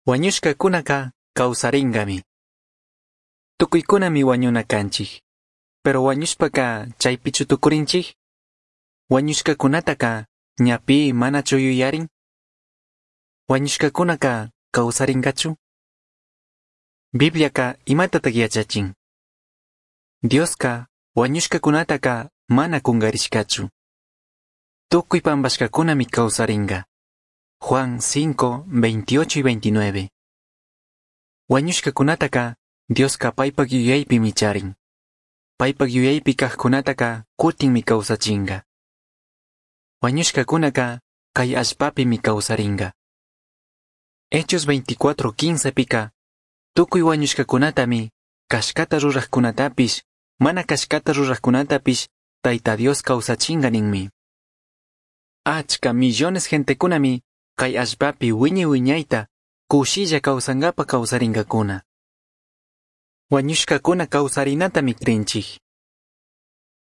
Huañushcacunaca causaringami. Tucuicunami huañuna canchij. Pero huañushpaca chaipichu tucurinchij? Huañushcacunataca ñapi manachu yuyarin? Huañushcacunaca causaringachu? Bibliaca imatataj yachachin? Diosca huañushcacunataca mana cungarishcachu. Tucui pambashcacunami causaringa. Juan 5, 28 y 29. Huañushcacunataca Diosca paipac yuyaipimi charin. Paipac yuyaipi cajcunataca cutinmi causachinga. Huañushcacunaca cai allpapimi causaringa. Hechos 24:15 pica tucui huañushcacunatami cashcata rurajcunatapish mana cashcata rurajcunatapish Taita Dios causachinga ninmi. Achca millones gentecunami cai allpapi wiñay wiñayta cushilla causangapa causaringacuna. Huañushcacuna causarinatami crinchij.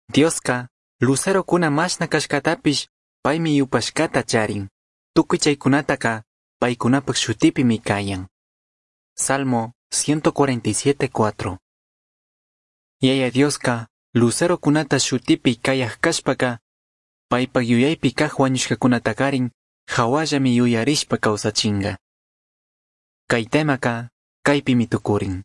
Diosca lucerocuna mashna cashcatapish paimi yupashcata charin. Tucui chaicunataca paicunapac shutipimi cayan. Salmo 147.4. Yaya Diosca lucerocunata shutipi cayaj cashpaca paipac yuyaipi caj huañushcacunatacarin jahuallami yuyarishpa causachinga. Cai temaca caipimi tucurin.